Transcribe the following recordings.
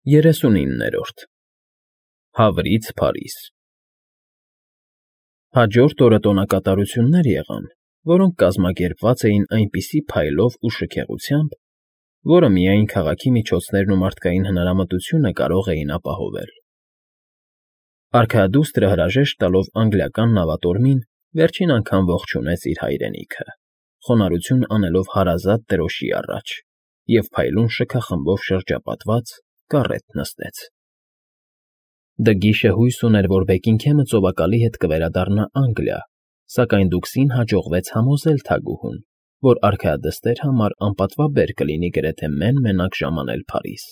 39-րդ Հավրից Փարիզ Հաջորդ օրը տոնակատարություններ եղան, որոնք կազմակերպված էին այնպիսի փայլով ու շքեղությամբ, որը միայն քաղաքի միջոցներն ու մարդկային հնարամտությունը կարող էին ապահովել։ Արքայադուստրը հրաժեշտ տալով անգլիական նավատորմին վերջին անգամ ողջունեց իր հայրենիքը, խոնարհություն անելով հարազատ դրոշի առաջ, և փայլուն շքախմբով շրջապատված կառետ նստեց։ Դգիշը հույս ուներ, որ Բեքինգհեմը ծովակալի հետ կվերադառնա Անգլիա, սակայն Դուքսին հաջողվեց համոզել թագուհուն, որ արքայադստեր համար անպատվաբեր կլինի գրեթե մեն֊մենակ ժամանել Փարիզ։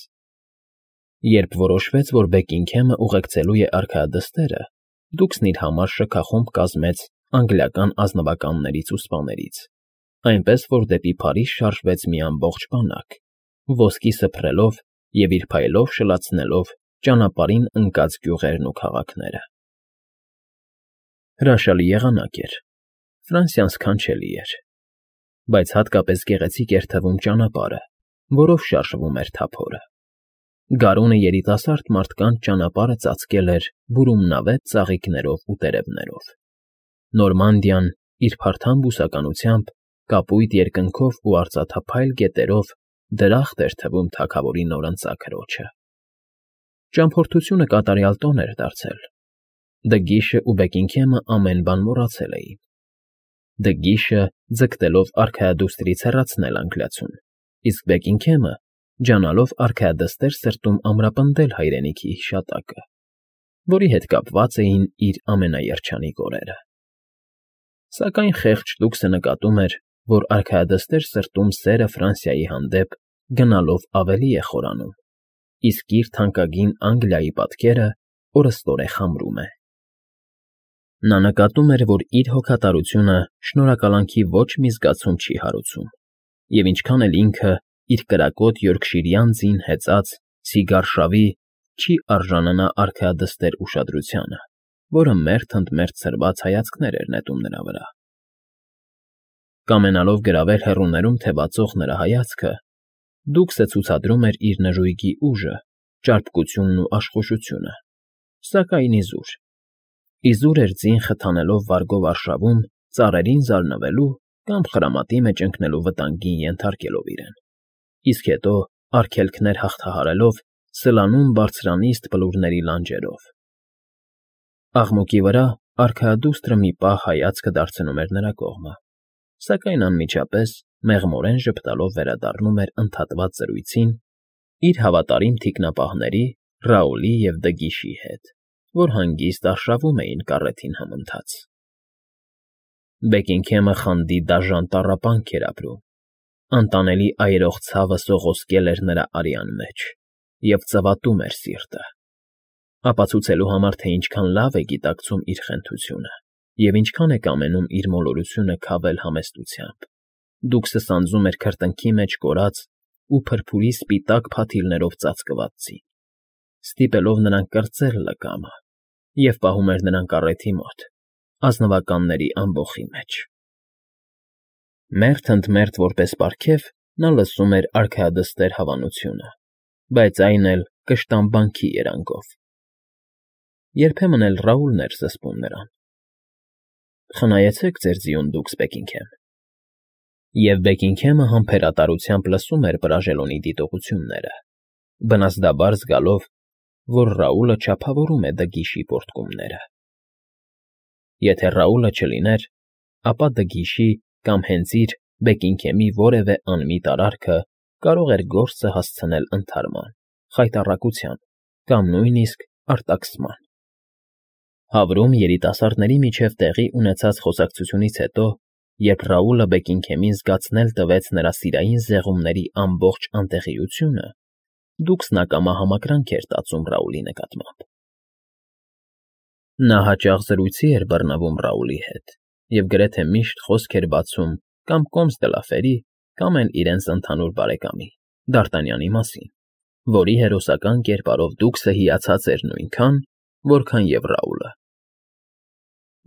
Երբ որոշվեց, որ Բեքինգհեմը ուղեկցելու է արքայադստերը, Դուքսն իր համար շքախումբ կազմեց անգլիական ազնվականներից ու սպաներից, այնպես որ դեպի Փարիզ շարժվեց մի ամբողջ բանակ, ոսկի սփռելով և իր փայլով շլացնելով ճանապարհին ընկած գյուղերն ու քաղաքները։ Հրաշալի եղանակ էր, Ֆրանսիան սքանչելի էր, բայց հատկապես գեղեցիկ էր թվում ճանապարհը, որով շարժվում էր թափորը։ Գարունը երիտասարդ մարդկանց ճանապարհը ծածկել էր բուրումնավետ ծաղիկներով ու տերևներով։ Նորմանդիան իր փարթամ բուսականությամբ, կապույտ երկնքով ու արծաթափայլ գետերով դրախտ էր թվում թագավորի նորընծա քրոջը։ Ճամփորդությունը կատարյալ տոն էր դարձել։ Դգիշը ու Բեքինգհեմը ամեն բան մոռացել էին։ Դգիշը ձգտելով արքայադուստրից հեռացնել անգլիացուն, իսկ Բեքինգհեմը ջանալով արքայադստեր սրտում ամրապնդել հայրենիքի հիշատակը, որի հետ կապված էին իր ամենաերջանիկ օրերը։ Սակայն խեղճ Դուքսը նկատում էր, որ արքայադստեր սրտում սերը Ֆրանսիայի հանդեպ գնալով ավելի է խորանում, իսկ իր թանկագին Անգլիայի պատկերը օրըստօրե խամրում է։ Նա նկատում էր, որ իր հոգատարությունը շնորհակալանքի ոչ մի զգացում չի հարուցում, և ինչքան էլ ինքը իր կրակոտ յորքշիրյան ձին հեծած սիգարշավի չի արժանանա արքայադստեր ուշադրությանը, որը մերթ ընդ մերթ ցրված հայացքներ էր նետում նրա վրա։ Կամենալով գրավել հեռուներում թևածող նրա հայացքը, Դուքսը ցուցադրում էր իր նժույգի ուժը, ճարպկությունն ու աշխուժությունը, սակայն իզուր էր ձին խթանելով վարգով արշավում, ծառերին զարնվելու կամ խրամատի մեջ ընկնելու վտանգին ենթարկելով իրեն, իսկ հետո արգելքներ հաղթահարելով սլանում բարձրանիստ բլուրների լանջերով։ Աղմուկի վրա արքայադուստրը մի պահ հայացքը դարձնում էր նրա կողմը, սակայն անմիջապես մեղմորեն ժպտալով վերադառնում էր ընդհատված զրույցին իր հավատարիմ թիկնապահների Ռաուլի և Դգիշի հետ, որ հանգիստ արշավում էին կառետին համընթաց։ Բեքինգհեմը խանդի դաժան տառապանք էր ապրում, անտանելի այրող ցավը սողոսկել էր նրա արյան մեջ և ծվատում էր սիրտը, ապացուցելու համար, թե ինչքան լավ է գիտակցում իր խենթությունը և ինչքան է կամենում իր մոլորությունը քավել համեստությամբ, Դուքսը սանձում էր քրտինքի մեջ կորած ու փրփուրի սպիտակ փաթիլներով ծածկված ձին, ստիպելով նրան կրծել լկամը և պահում էր նրան կառեթի մոտ, ազնվականների ամբոխի մեջ։ Մերթ ընդ մերթ որպես պարգև նա լսում էր արքայադստեր հավանությունը, բայց այն էլ կշտամբանքի երանգով։ Երբեմն էլ Ռաուլն էր զսպում նրան. «Խնայեցեք ձեր ձիուն, Դուքս Բեքինգհեմ»։ Եվ Բեքինգհեմը համբերատարությամբ լսում էր Բրաժելոնի դիտողությունները, բնազդաբար զգալով, որ Ռաուլը չափավորում է Դգիշի պոռթկումները։ Եթե Ռաուլը չլիներ, ապա Դգիշի կամ հենց իր Բեքինգհեմի որևէ անմիտ արարքը կարող էր գործը հասցնել ընդհարման, խայտառակության կամ նույնիսկ արտաքսման։ Հավրում երիտասարդների միջև տեղի ունեցած խոսակցությունից հետո, երբ Ռաուլը Բեքինգհեմին զգացնել տվեց նրա սիրային զեղումների ամբողջ անտեղիությունը, Դուքսն ակամա համակրանք էր տածում Ռաուլի նկատմամբ։ Նա հաճախ զրույցի էր բռնվում Ռաուլի հետ և գրեթե միշտ խոսք էր բացում կամ Կոմս դը Լաֆերի, կամ էլ իրենց ընդհանուր բարեկամի՝ Դ'Արտանյանի մասին, որի հերոսական կերպարով Դուքսը հիացած էր նույնքան, որքան և Ռաուլը։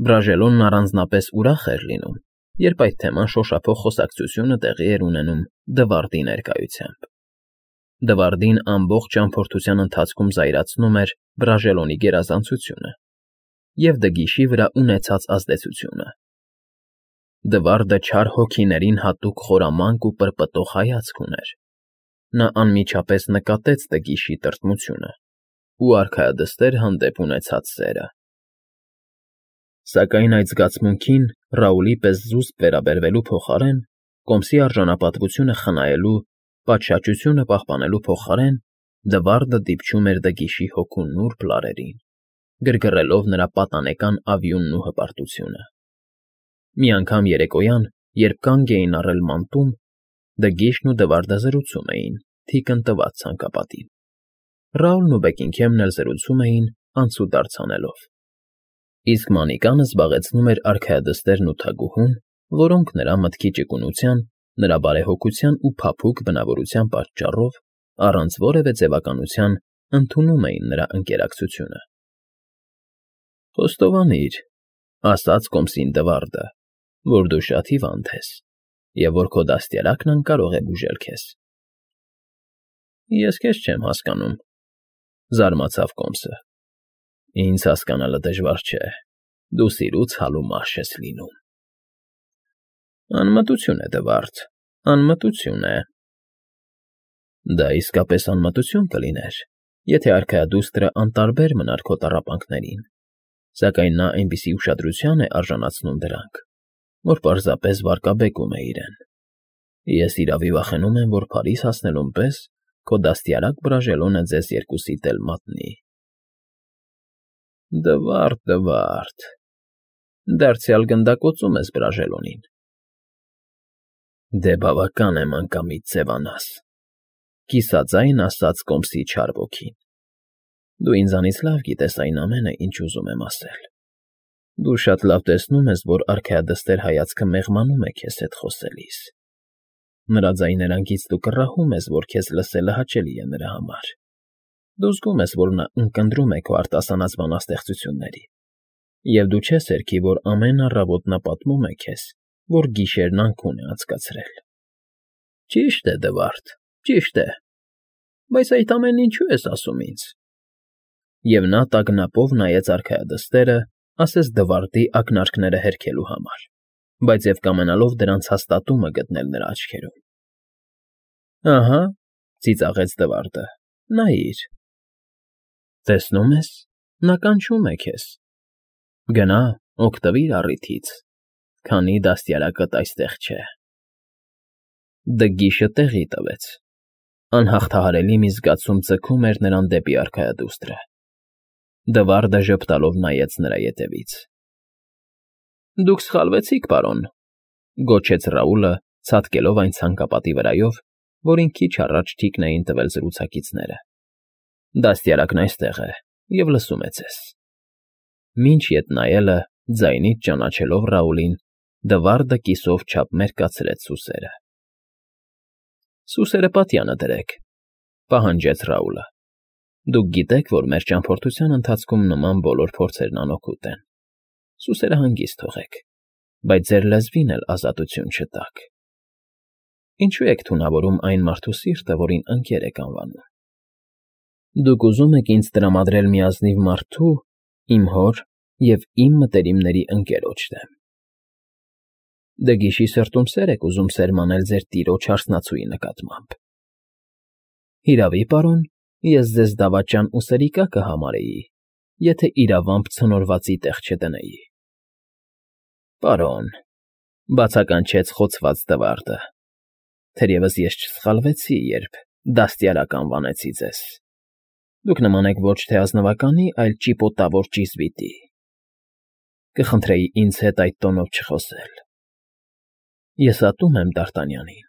Բրաժելոնն առանձնապես ուրախ էր լինում, երբ այդ թեման շոշափող խոսակցությունը տեղի էր ունենում Դվարդի ներկայությամբ։ Դվարդին ամբողջ ճամփորդության ընթացքում զայրացնում էր Բրաժելոնի գերազանցությունը և Դգիշի վրա ունեցած ազդեցությունը։ Դվարդը չար հոգիներին հատուկ խորամանկ ու պրպտող հայացք ուներ։ Նա անմիջապես նկատեց Դգիշի տրտմությունը ու արքայադստեր հանդեպ ունեցած սերը։ Սակայն այդ զգացմունքին Ռաուլի պես զուսպ վերաբերվելու փոխարեն, կոմսի արժանապատվությունը խնայելու, պատշաճությունը պահպանելու փոխարեն Դվարդը դիպչում էր Դգիշի հոգու նուրբ լարերին, գրգռելով նրա պատանեկան ավյունն ու հպարտությունը։ Մի անգամ երեկոյան, երբ կանգ էին առել մանտում, Դգիշն ու Դվարդը զրուցում էին, թիկն տված ցանկապատին։ Ռաուլն ու Բեքինգհեմն էլ զրուցում էին, անցուդարձ անելով։ Իսկ Մանիկանը զբաղեցնում էր արքայադստերն ու թագուհուն, որոնք նրա մտքի ճկունության, նրա բարեհոգության ու փափուկ բնավորության պատճառով առանց որևէ ձևականության ընդունում էին նրա ընկերակցությունը։ «Խոստովանիր,֊ ասաց կոմսին Դվարդը,֊ որ դու շատ հիվանդ ես և որ քո դաստիարակն անկարող է բուժել քեզ»։ «Ես քեզ չեմ հասկանում,֊ զարմացավ կոմսը։ Ինձ հասկանալը դժվար չէ, դու սիրուց հալու մարդ ես լինում»։ «Անմտություն է, Դվարդ, անմտություն է»։ «Դա իսկապես անմտություն կլիներ, եթե արքայադուստրը անտարբեր մնար քո տառապանքներին, սակայն նա այնպիսի ուշադրության է արժանացնում դրանք, որ պարզապես վարկաբեկում է իրեն։ Ես իրավի վախենում եմ, որ Փարիզ հասնելուն պես քո դաստիարակ Բրաժելոնը ձեզ երկուսիդ էլ մատնի»։ «Դվարդ, Դվարդ, դարձյալ գնդակոծում ես Բրաժելոնին»։ «Դե բավական է մանկամիտ ձևանաս,֊ կիսաձայն ասաց կոմսի չար ոգին։ Դու ինձանից լավ գիտես այն ամենը, ինչ ուզում եմ ասել։ Դու շատ լավ տեսնում ես, որ արքայադստեր հայացքը մեղմանում է քեզ հետ խոսելիս։ Նրա ձայներանգից դու կռահում ես, որ քեզ լսելը հաճելի է նրա համար։ Դու զգում ես, որ նա ունկնդրում է քո արտասանած բանաստեղծությունների, և դու չես հերքի, որ ամեն առավոտ նա պատմում է քեզ, որ գիշերն անքուն է անցկացրել։ Ճիշտ է, Դվարդ, ճիշտ է, բայց այդ ամենն ինչու ես ասում ինձ։ Եվ նա տագնապով նայեց արքայադստերը, ասես Դվարդի ակնարկները հերքելու համար, բայց և կամենալով դրանց հաստատումը գտնել նրա աչքերում։ Ահա,֊ ծիծաղեց Դվարդը,֊ նայիր։ Տեսնում ես, նա կանչում է քեզ։ Գնա, օգտվիր առիթից, քանի դաստիարակդ այստեղ չէ։ Դգիշը տեղի տվեց։ Անհաղթահարելի մի զգացում ձգում էր նրան դեպի արքայադուստրը։ Դվարդը ժպտալով նայեց նրա ետևից։ Դուք սխալվեցիք, պարոն,֊ գոչեց Ռաուլը, ցատկելով այն ցանկապատի վրայով, որին քիչ առաջ թիկն էին տվել զրուցակիցները։ Դաստիարակն այստեղ է և լսում է ձեզ։ Մինչ ետ նայելը, ձայնից ճանաչելով Ռաուլին, Դվարդը կիսով չափ մերկացրեց սուսերը։ Սուսերը պատյանը դրեք,֊ պահանջեց Ռաուլը։ Դուք գիտեք, որ մեր ճամփորդության ընթացքում նման բոլոր փորձերն անօգուտ են։ Սուսերը հանգիստ թողեք, բայց ձեր լեզվին էլ ազատություն չտաք։ Ինչու եք թունավորում այն մարդու սիրտը, որին ընկեր եք անվանում։ Դուք ուզում եք ինձ տրամադրել մի ազնիվ մարդու, իմ հոր և իմ մտերիմների ընկերոջ դեմ։ Դգիշի սրտում սեր եք ուզում սերմանել ձեր տիրոջ հարսնացուի նկատմամբ։ Հիրավի, պարոն, ես ձեզ դավաճան ու սրիկա կհամարեի, եթե իրավամբ ցնորվածի տեղ չդնեի։ Պարոն,֊ բացականչեց խոցված Դվարդը,֊ թերևս ես չսխալվեցի, երբ դաստիարակ անվանեցի ձեզ։ Դուք նման եք ոչ թե ազնվականի, այլ ճիպոտավոր ճիզվիտի։ Կխնդրեի ինձ հետ այդ տոնով չխոսել։ Ես ատում եմ Դ'Արտանյանին,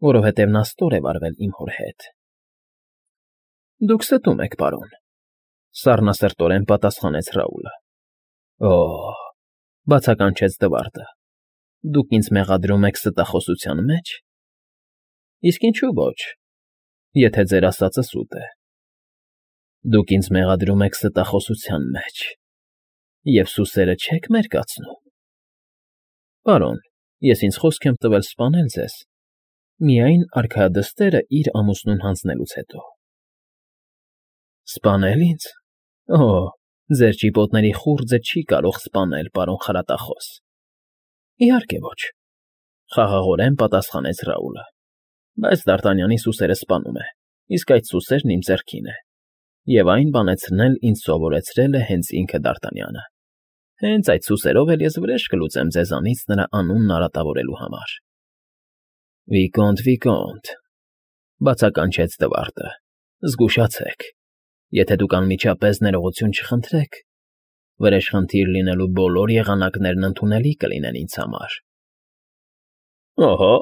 որովհետև նա ստոր է վարվել իմ հոր հետ։ Դուք ստում եք, պարոն,֊ սառնասրտորեն պատասխանեց Ռաուլը։ Օ՜, բացականչեց Դվարդը, դուք ինձ մեղադրում եք ստախոսության մեջ։ Իսկ ինչու ոչ, եթե ձեր ասածը սուտ է։ Դուք ինձ մեղադրում եք ստախոսության մեջ և սուսերը չեք մերկացնում։ Պարոն, ես ինձ խոսք եմ տվել սպանել ձեզ, Միայն արքայադստերը իր ամուսնուն հանձնելուց հետո։ Սպանել ինձ։ Օ, ձեր ճիպոտների խուრძը չի կարող սպանել, պարոն խրատախոս։ Իհարկե ոչ, խաղաղորեն պատասխանեց Ռաուլը։ Բայց Դ'Արտանյանի սուսերը սպանում է, իսկ այդ սուսերն իմ ձեռքին է։ Եվ այն բանեցնել ինձ սովորեցրել է հենց ինքը Դ'Արտանյանը։ Հենց այդ սուսերով էլ ես վրեժ կլուծեմ ձեզանից նրա անունն արատավորելու համար։ Վիկոնտ, բացականչեց Դվարդը, զգուշացեք, եթե դուք անմիջապես ներողություն չխնդրեք, վրեժխնդիր լինելու բոլոր եղանակներն ընդունելի կլինեն ինձ համար։ Օհո,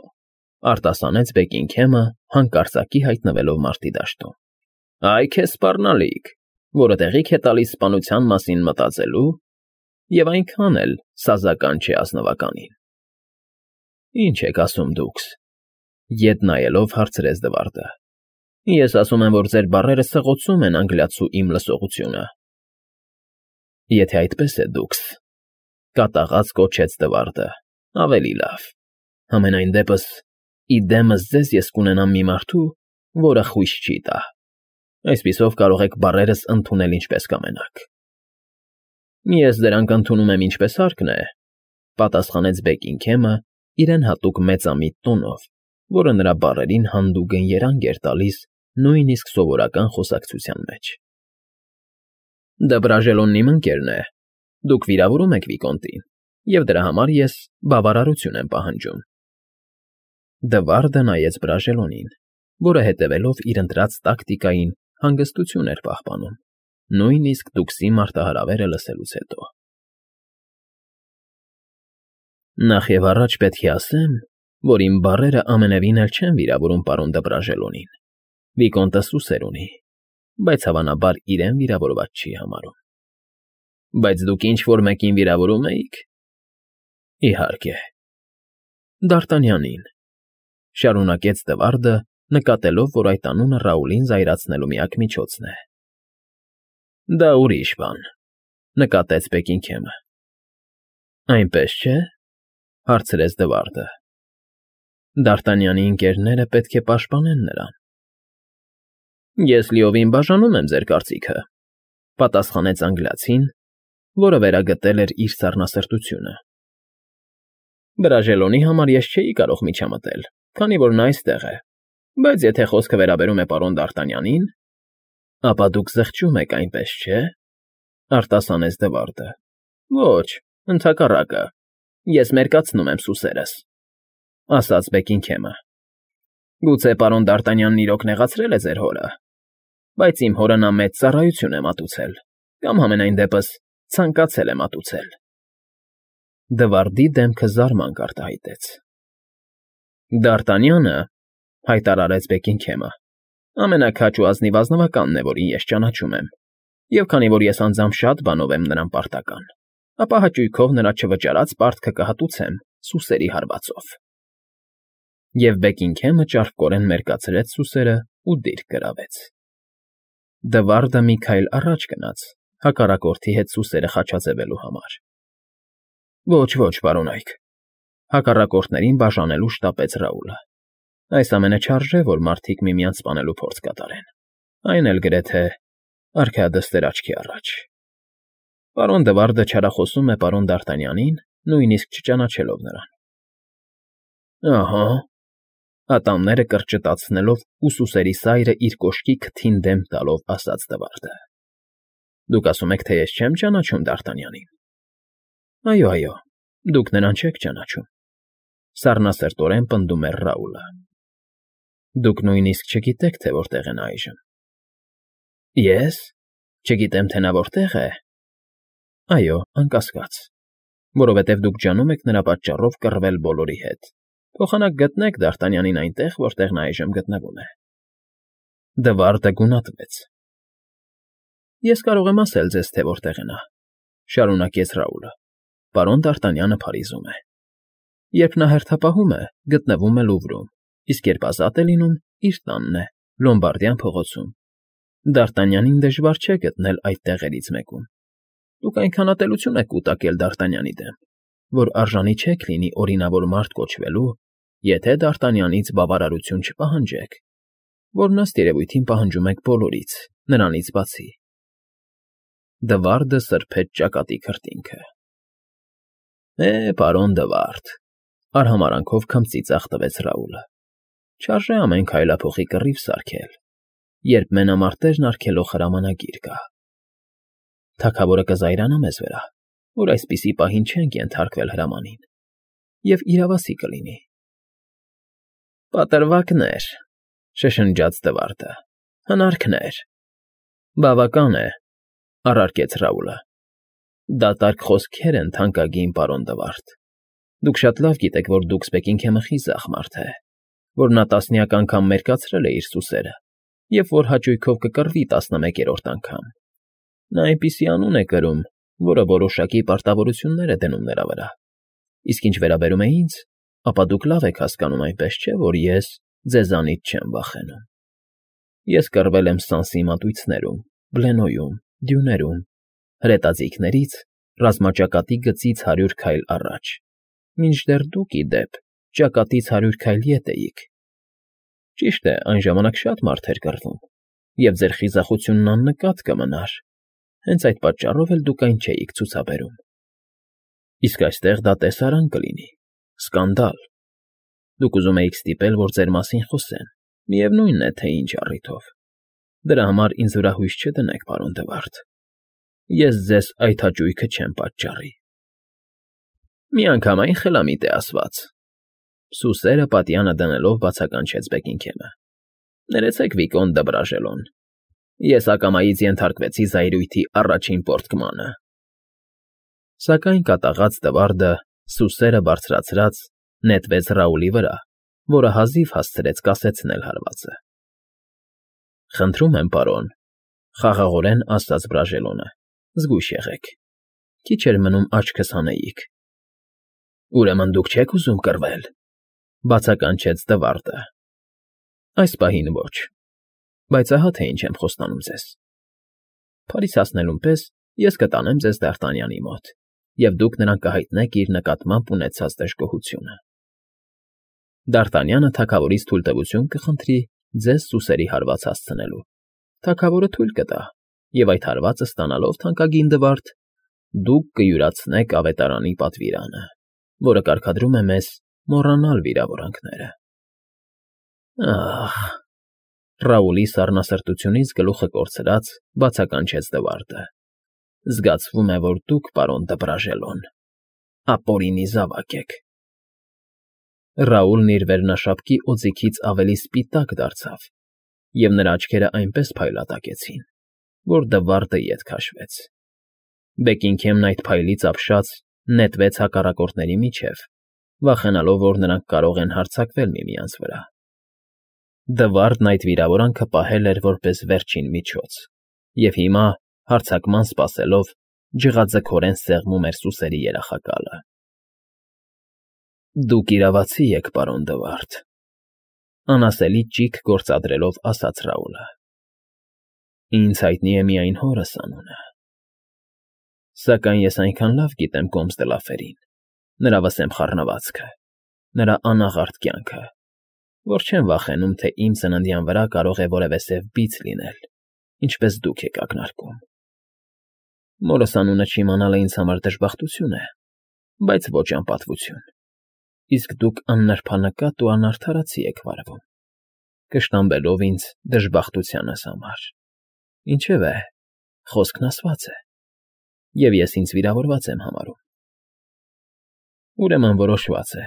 արտասանեց Բեքինգհեմը, հանկարծակի հայտնվելով մարտի դաշտում։ Այ քեզ սպառնալիք, որը տեղիք է տալիս սպանության մասին մտածելու և այնքան էլ սազական չէ ազնվականին։ Ինչ եք ասում դուքս, ետ նայելով հարցրեց Դվարդը։ Ես ասում եմ, որ ձեր բառերը սղոցում են անգլիացու իմ լսողությունը։ Եթե այդպես է դուքս, կատաղած կոչեց Դվարդը, ավելի լավ։ Համենայն դեպս, իդեմս ձեզ ես կունենամ մի մարդու, որը խույս չի տա։ Այսպիսով կարող եք բառերս ընդունել ինչպես կամենաք։ Ես դրանք ընդունում եմ ինչպես հարկն է, պատասխանեց Բեքինգհեմը իրեն հատուկ մեծամիտ տոնով, որը նրա բառերին հանդուգն երանգ էր տալիս նույնիսկ սովորական խոսակցության մեջ։ Դբրաժելոնն իմ ընկերն է, դուք վիրավորում եք Վիկոնտին, և դրա համար ես բավարարություն եմ պահանջում։ Դվարդը նայեց Բրաժելոնին, որը հետևելով իր ընտրած տակտիկային հանգստություն էր պահպանում, նույնիսկ դուքսի մարտահրավերը լսելուց հետո։ Նախ և առաջ պետք է ասեմ, որ իմ բառերը ամենևին էլ չեն վիրավորում պարոն Դբրաժելոնին։ Վիկոնտը սուսեր ունի, բայց հավանաբար իրեն վիրավորված չի համարում։ Բայց դուք ինչ-որ մեկին վիրավորում էիք։ Իհարկե։ Դ'Արտանյանին, շարունակեց Դվարդը, նկատելով, որ այդ անունը Ռաուլին զայրացնելու միակ միջոցն է։ Դա ուրիշ բան, նկատեց Բեքինգհեմը։ Այնպես չէ, հարցրեց Դվարդը։ Դ'Արտանյանի ընկերները պետք է պաշտպանեն նրան։ Ես լիովին բաժանում եմ ձեր կարծիքը, պատասխանեց անգլիացին, որը վերագտել էր իր սառնասրտությունը։ Բրաժելոնի համար ես չէի կարող միջամտել, քանի որ նա այստեղ է, բայց եթե խոսքը վերաբերում է պարոն Դ'Արտանյանին, ապա դուք զղջում եք, այնպես չէ, արտասանեց Դվարդը։ Ոչ, ընդհակառակը, ես մերկացնում եմ սուսերս, ասաց Բեքինգհեմը։ Գուցե պարոն Դ'Արտանյանն իրոք նեղացրել է ձեր հորը, բայց իմ հորը նա մեծ ծառայություն է մատուցել, կամ համենայն դեպս ցանկացել է մատուցել։ Դվարդի դեմքը զարմանք արտահայտեց։ Դ'Արտանյանը, հայտարարեց Բեքինգհեմը, ամենաքաջ ու ազնիվ ազնվականն է, որին ես ճանաչում եմ, և քանի որ ես անձամբ շատ բանով եմ նրան պարտական, ապա հաճույքով նրա չվճարած պարտքը կհատուցեմ սուսերի հարվածով։ Եվ Բեքինգհեմը ճարպկորեն մերկացրեց սուսերը ու դիրք գրավեց։ Դվարդը մի քայլ առաջ գնաց, հակառակորդի հետ սուսերը խաչաձևելու համար։ Ոչ, պարոնայք, հակառակորդներին բաժանելու շտապեց Ռաուլը։ Այս ամենը չարժե, որ մարդիկ միմյանց սպանելու փորձ կատարեն, այն էլ գրեթե արքայադստեր աչքի առաջ։ Պարոն Դվարդը չարախոսում է պարոն Դ'Արտանյանին, նույնիսկ չճանաչելով նրան։ Ահա, ատամները կրճտացնելով ու սուսերի սայրը իր կոշկի քթին դեմ տալով ասաց Դվարդը։ Դուք ասում եք, թե ես չեմ ճանաչում Դ'Արտանյանին։ Այո, դուք նրան չեք ճանաչում, սառնասրտորեն պնդում էր Ռաուլը։ Դուք նույնիսկ չգիտեք, թե որտեղ է նա այժմ։ Ես չգիտեմ, թե նա որտեղ է։ Այո, անկասկած, որովհետև դուք ջանում եք նրա պատճառով կռվել բոլորի հետ։ Փոխանակ գտնեք Դ'Արտանյանին այնտեղ, որտեղ նա այժմ գտնվում է։ Դվարդը գունատվեց։ Ես կարող եմ ասել ձեզ, թե որտեղ է նա, շարունակեց Ռաուլը։ Պարոն Դ'Արտանյանը Փարիզում է։ Երբ նա հերթապահում է, գտնվում է Լուվրում, իսկ երբ ազատ է լինում, իր տանն է, Լոմբարդյան փողոցում։ Դ'Արտանյանին դժվար չէ գտնել այդ տեղերից մեկում։ Դուք այնքան ատելություն եք կուտակել Դ'Արտանյանի դեմ, որ արժանի չեք լինի օրինավոր մարդ կոչվելու Եթե Դ'Արտանյանից բավարարություն չպահանջեք, որն ըստ երևույթին պահանջում եք բոլորից, նրանից բացի։ Դվարդը սրբեց ճակատի քրտինքը։ Պարոն Դվարդ, արհամարանքով քմծի ծաղտվեց Ռաուլը։ Չարժե ամեն քայլափոխի կռիվ սարքել, երբ մենամարտերն արգելող հրամանագիր կա։ Թագավորը կզայրանա մեզ վրա, որ այսպիսի պահին չենք ենթարկվել հրամանին, և իրավասի կլինի։ Պատրվակներ, շշնջաց Դվարդը, հնարքներ։ Բավական է, առարկեց Ռաուլը։ Դատարկ խոսքեր են, թանկագին պարոն Դվարդ։ Դուք շատ լավ գիտեք, որ Դուքսբեկինգհեմը խիզախ մարդ է, որ նա տասնյակ անգամ մերկացրել է իր սուսերը, և որ հաճույքով կկռվի 11-րդ անգամ։ Նա այնպիսի անուն է կրում, որը որոշակի պարտավորություններ է դնում նրա վրա։ Իսկ ինչ վերաբերում է ինձ, ապա դուք լավ եք հասկանում, այնպես չէ, որ ես ձեզանից չեմ վախենում։ Ես կռվել եմ Սանսի մատույցներում, Բլենոյում, Դյուներում, հրետաձիգներից, ռազմաճակատի գծից 100 քայլ առաջ, մինչդեռ դուք, ի դեպ, ճակատից 100 քայլ ետ էիք։ Ճիշտ է, այն ժամանակ շատ մարդ էր կռվում, և ձեր խիզախությունն աննկատ կմնար, հենց այդ պատճառով էլ դուք այն չէիք ցուցաբերում։ Իսկ այստեղ դա տեսարան կլինի, սկանդալ։ Դուք ուզում էիք ստիպել, որ ձեր մասին խոսեն, միևնույն է, թե ինչ առիթով։ Դրա համար ինձ վրա հույս չդնեք, պարոն Դվարդ։ Ես ձեզ այդ հաճույքը չեմ պատճառի։ Միանգամայն խելամիտ է ասված։ Սուսերը պատյանը դնելով բացականչեց Բեկինգհեմը։ Ներեցեք, Վիկոն դ'Ը Բրաժելոն, ես ակամայից ենթարկվեցի զայրույթի առաջին պոռթկմանը։ Սակայն կատաղած Դվարդը, սուսերը բարձրացրած, նետվեց Ռաուլի վրա, որը հազիվ հասցրեց կասեցնել հարվածը։ Խնդրում եմ, պարոն, խաղաղորեն ասաց Բրաժելոնը, զգույշ եղեք։ Քիչ էր մնում աչքս հանեիք։ Ուրեմն դուք չեք ուզում կռվել, բացականչեց Դվարդը։ Այս պահին ոչ, բայց ահա թե ինչ եմ խոստանում ձեզ։ Փարիզ հասնելուն պես ես կտանեմ ձեզ Դ'Արտանյանի մոտ, և դուք նրան կհայտնեք իր նկատմամբ ունեցած դժգոհությունը։ Դ'Արտանյանը թագավորից թույլտվություն կխնդրի ձեզ սուսերի հարված հասցնելու։ Թագավորը թույլ կտա, և այդ հարվածը ստանալով, թանկագին Դվարդ, դուք կյուրացնեք ավետարանի պատվիրանը, որը կարգադրում է մեզ մոռանալ վիրավորանքները։ Ահ, Ռաուլի սառնասրտությունից գլուխը կորցրած, բացականչեց Դվարդը։ Զգացվում է, որ դուք, պարոն դ'Ը Բրաժելոն, ապօրինի զավակ եք։ Ռաուլն իր վերնաշապկի օձիքից ավելի սպիտակ դարձավ, և նրա աչքերը այնպես փայլատակեցին, որ Դվարդը ետ քաշվեց։ Բեկինգհեմն այդ փայլից ապշած նետվեց հակառակորդների միջև, վախենալով, որ նրանք կարող են հարձակվել միմյանց վրա։ Դվարդն այդ վիրավորանքը պահել էր որպես վերջին միջոց, և հիմա, հարձակման սպասելով, ջղաձգորեն սեղմում էր սուսերի երախակալը։ Դուք իրավացի եք, պարոն Դվարդ, անասելի ճիգ գործադրելով ասաց Ռաուլը։ Ինձ հայտնի է միայն հորս անունը։ Սակայն ես այնքան լավ գիտեմ Կոմս դ'Լա Ֆերին, նրա վսեմ խառնվածքը, նրա անաղարտ կյանքը, որ չեմ վախենում, թե իմ ծննդյան վրա կարող է որևէ սև բիծ լինել, ինչպես դուք եք ակնարկում։ Մորս անունը չիմանալը ինձ համար դժբախտություն է, բայց ոչ անպատվություն, իսկ դուք աննրբանկատ ու անարդարացի եք վարվում, կշտամբելով ինձ դժբախտությանս համար։ Ինչևէ, խոսքն ասված է, և ես ինձ վիրավորված եմ համարում։ Ուրեմն որոշված է։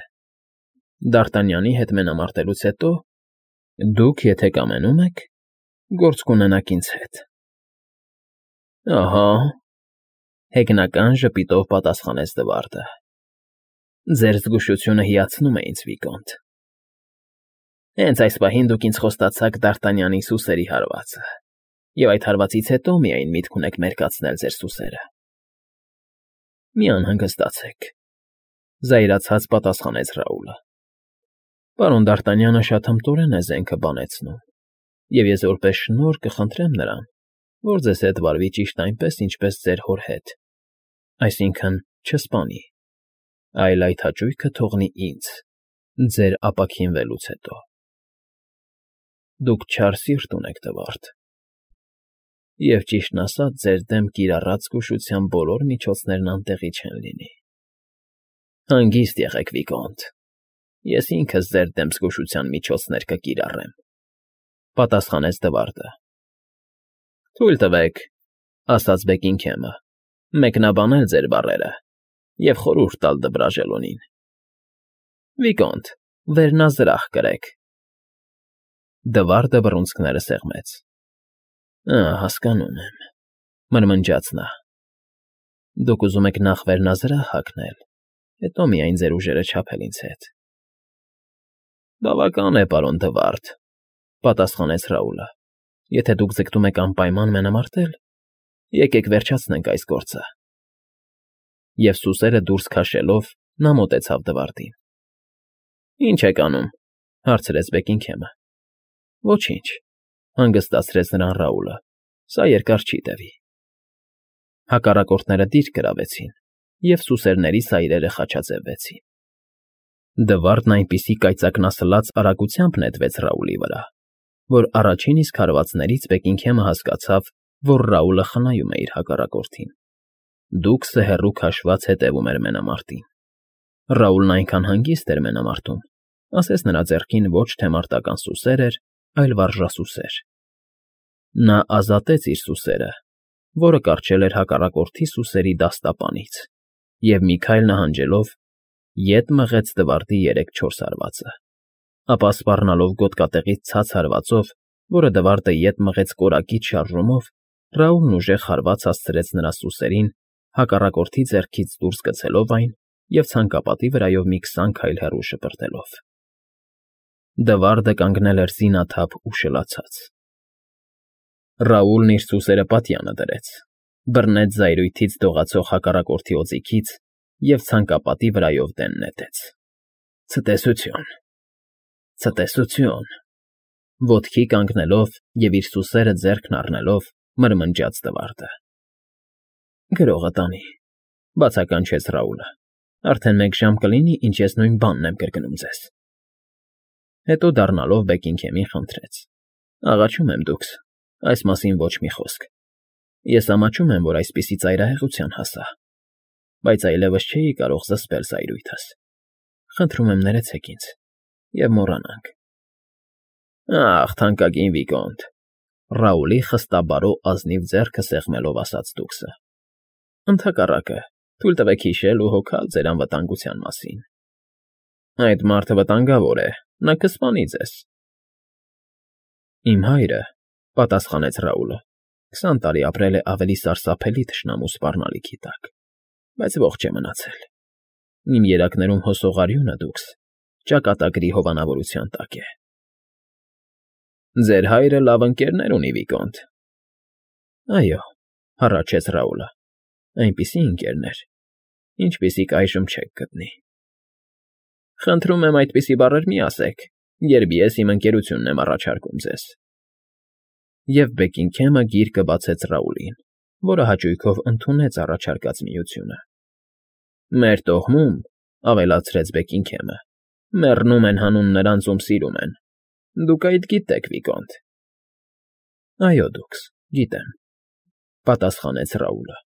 Դ'Արտանյանի հետ մենամարտելուց հետո դուք, եթե կամենում եք, գործ կունենաք ինձ հետ։ Ահա, հեգնական ժպիտով պատասխանեց Դվարդը։ Ձեր զգուշությունը հիացնում է ինձ, Վիկոնտ։ Հենց այս պահին դուք ինձ խոստացաք Դ'Արտանյանի սուսերի հարվածը, և այդ հարվածից հետո միայն միտք ունեք մերկացնել ձեր սուսերը։ Մի անհանգստացեք, զայրացած պատասխանեց Ռաուլը։ Պարոն Դ'Արտանյանը շատ հմտորեն է զենքը բանեցնում, և ես որպես շնորհ կխնդրեմ նրան, որ ձեզ հետ վարվի ճիշտ այնպես, ինչպես ձեր հոր հետ, այսինքն չսպանի, այլ այդ հաճույքը թողնի ինձ, Ձեր ապաքինվելուց հետո։ Դուք չար սիրտ ունեք, Դվարդ, և ճիշտն ասած, ձեր դեմ կիրառած զգուշության բոլոր միջոցներն անտեղի չեն լինի։ Հանգիստ եղեք, Վիգոնտ, ես ինքս ձեր դեմ զգուշության միջոցներ կկիրառեմ,֊ պատասխանեց Դվարդը։ Թույլ տվեք,֊ ասաց Բեգինգհեմը,֊ մեկնաբանել ձեր բառերը և խորհուրդ տալ Դբրաժելոնին։ Վիգոնտ, վերնազրահ կրեք։ Դվարդը բռունցքները սեղմեց։ Հասկանում եմ,֊ մրմնջաց նա։ Դուք ուզում եք նախ վերնազրահ հագնել, հետո միայն ձեր ուժերը չափել ինձ հետ։ Բավական է, պարոն Դվարդ,֊ պատասխանեց Ռաուլը։ Եթե դուք ձգտում եք անպայման մենամարտել, եկեք վերջացնենք այս գործը։ Եվ սուսերը դուրս քաշելով՝ նա մոտեցավ Դվարդին։ Ինչ եք անում,֊ հարցրեց Բեգինգհեմը։ Ոչինչ,֊ հանգստացրեց նրան Ռաուլը,֊ սա երկար չի տևի։ Հակառակորդները դիրք գրավեցին, և սուսերների սայրերը խաչաձևվեցին։ Դվարդն այնպիսի կայծակնասլաց արագությամբ նետվեց Ռաուլի վրա, որ առաջին իսկ հարվածներից Բեգինգհեմը հասկացավ, որ Ռաուլը խնայում է իր հակառակորդին։ Դուքսը հեռու քաշված հետևում էր մենամարտին։ Ռաուլն այնքան հանգիստ էր մենամարտում, ասես նրա ձեռքին ոչ թե մարտական սուսեր էր, այլ վարժասուսեր։ Նա ազատեց իր սուսերը, որը կառչել էր հակառակորդի սուսերի դաստապանից, և մի քայլ նահանջելով, ետ մղեց Դվարդի 3-4 հարվածը, ապա սպառնալով գոտկատեղից ցած հարվածով, որը Դվարդը ետ մղեց կորակից շարժումով, Ռաուլն ուժեղ հարված հասցրեց նրա սուսերին, հակառակորդի ձեռքից դուրս գցելով այն և ցանկապատի վրայով մի 20 քայլ հեռու շպրտելով։ Դվարդը կանգնել էր զինաթափ ու շլացած։ Ռաուլն իր սուսերը պատյանը դրեց, բռնեց զայրույթից դողացող հակառակորդի օձիքից և ցանկապատի վրայով դեն նետեց։ Ցտեսություն… Ցտեսություն… Ոտքի կանգնելով և իր սուսերը ձեռքն առնելով՝ մրմնջաց Դվարդը։ Գրողը տանի,֊ բացականչեց Ռաուլը,֊ արդեն 1 ժամ կլինի, ինչ ես նույն բանն եմ կրկնում ձեզ։ Հետո դառնալով Բեգինգհեմին խնդրեց. Աղաչում եմ դուքս, այս մասին ոչ մի խոսք։ Ես ամաչում եմ, որ այսպիսի ծայրահեղության հասա, բայց այլևս չէի կարող զսպել զայրույթս։ Խնդրում եմ ներեցեք ինձ և մոռանանք։ Ախ, թանկագին Վիգոնտ,֊ Ռաուլի խստաբարո ազնիվ ձեռքը սեղմելով ասաց դուքսը,֊ ընդհակառակը, թույլ տվեք հիշել ու հոգալ ձեր անվտանգության մասին։ Այդ մարդը վտանգավոր է, նա կսպանի ձեզ։ Իմ հայրը,֊ պատասխանեց Ռաուլը,֊ 20 տարի ապրել է ավելի սարսափելի թշնամու սպառնալիքի տակ, բայց ողջ է մնացել։ Իմ երակներում հոսող արյունը դուքս ճակատագրի հովանավորության տակ է։ Ձեր հայրը լավ ընկերներ ունի, Վիգոնտ։ Այո,֊ հառաչեց Ռաուլը,֊ այնպիսի ընկերներ, ինչպիսիք այժմ չեք գտնի։ Խնդրում եմ այդպիսի բառեր մի ասեք, երբ ես իմ ընկերությունն եմ առաջարկում ձեզ։ Եվ Բեգինգհեմը գիրկը բացեց Ռաուլին, որը հաճույքով ընդունեց առաջարկած միությունը։ Մեր տոհմում,֊ ավելացրեց Բեգինգհեմը,֊ մեռնում են հանուն նրանց, ում սիրում են։ Դուք այդ գիտեք, Վիգոնտ։ Այո, դուքս, գիտեմ,֊ պատասխանեց Ռաուլը։